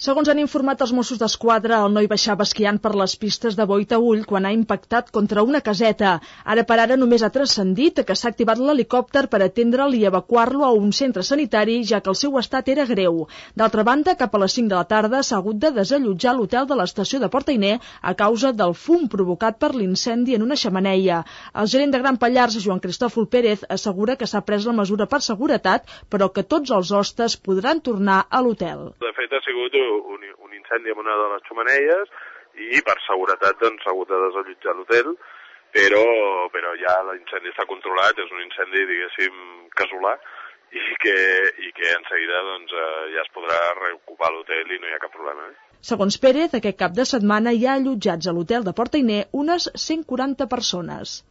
Segons han informat els Mossos d'Esquadra, el noi baixava esquiant per les pistes de Boí-Taüll quan ha impactat contra una caseta. Ara per ara només ha transcendit que s'ha activat l'helicòpter per atendre'l i evacuar-lo a un centre sanitari, ja que el seu estat era greu. D'altra banda, cap a les 5 de la tarda s'ha hagut de desallotjar l'hotel de l'estació de Port-Ainé a causa del fum provocat per l'incendi en una xemeneia. El gerent de Gran Pallars, Joan Cristòfol Pérez, assegura que s'ha pres la mesura per seguretat, però que tots els hostes podran tornar a l'hotel. De fet, ha sigut un incendi en una de les xemeneies i per seguretat doncs, s'ha hagut de desallotjar l'hotel, però ja l'incendi està controlat, és un incendi, diguéssim, casolà i que en seguida doncs, ja es podrà reocupar l'hotel i no hi ha cap problema. Segons Pérez, aquest cap de setmana hi ha allotjats a l'hotel de Port-Ainé unes 140 persones.